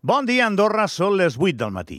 Bon dia, Andorra, són les 8 del matí.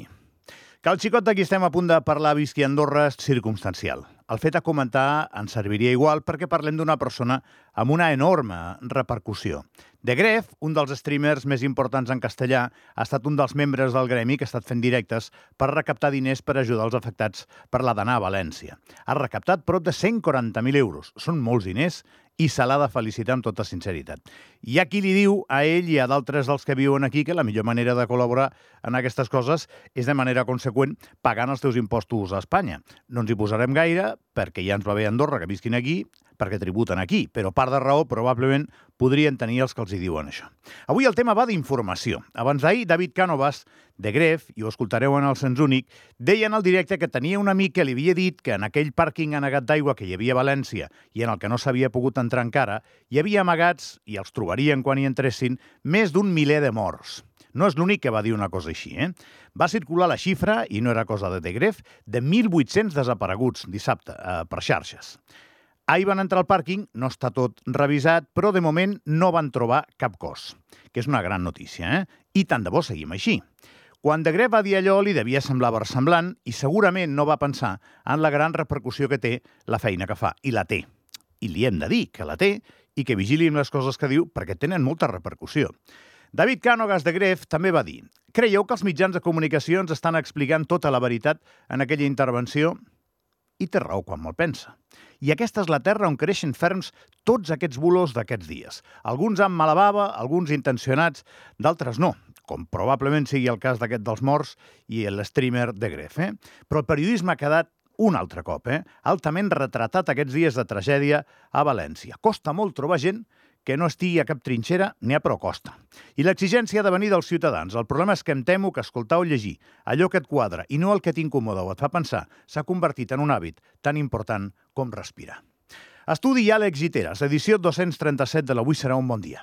Que el xicot d'aquí estem a punt de parlar visqui a Andorra és circumstancial. El fet a comentar ens serviria igual perquè parlem d'una persona amb una enorme repercussió. De Gref, un dels streamers més importants en castellà, ha estat un dels membres del gremi que ha estat fent directes per recaptar diners per ajudar els afectats per la d'anar a València. Ha recaptat prop de 140.000 euros. Són molts diners i se l'ha de felicitar amb tota sinceritat. Hi ha qui li diu a ell i a d'altres dels que viuen aquí que la millor manera de col·laborar en aquestes coses és de manera conseqüent pagant els teus impostos a Espanya. No ens hi posarem gaire, perquè ja ens va bé a Andorra que visquin aquí, perquè tributen aquí, però part de raó probablement podrien tenir els que els hi diuen això. Avui el tema va d'informació. Abans d'ahir, David Cánovas, de Gref, i ho escoltareu en el Sens Únic, deia en el directe que tenia un amic que li havia dit que en aquell pàrquing anegat d'aigua que hi havia a València i en el que no s'havia pogut entrar encara, hi havia amagats, i els trobarien quan hi entressin, més d'un miler de morts. No és l'únic que va dir una cosa així, Va circular la xifra, i no era cosa de Gref, de 1.800 desapareguts dissabte per xarxes. Ahir van entrar al pàrquing, no està tot revisat, però de moment no van trobar cap cos, que és una gran notícia, I tant de bo seguim així. Quan de Gref va dir allò li devia semblar versemblant i segurament no va pensar en la gran repercussió que té la feina que fa, i la té. I li hem de dir que la té i que vigili amb les coses que diu perquè tenen molta repercussió. David Cánovas de Gref també va dir: creieu que els mitjans de comunicació ens estan explicant tota la veritat en aquella intervenció? I té raó quan me'l pensa. I aquesta és la terra on creixen ferms tots aquests bulos d'aquests dies. Alguns amb mala bava, alguns intencionats, d'altres no, com probablement sigui el cas d'aquest dels morts i l'streamer de Gref. Però el periodisme ha quedat un altre cop, altament retratat aquests dies de tragèdia a València. Costa molt trobar gent que no estigui a cap trinxera ni a prou costa. I l'exigència ha de venir dels ciutadans. El problema és que em temo que escoltar o llegir allò que et quadra i no el que t'incomoda o et fa pensar s'ha convertit en un hàbit tan important com respirar. Estudi Àlex Giteras, edició 237 de l'Avui serà un bon dia.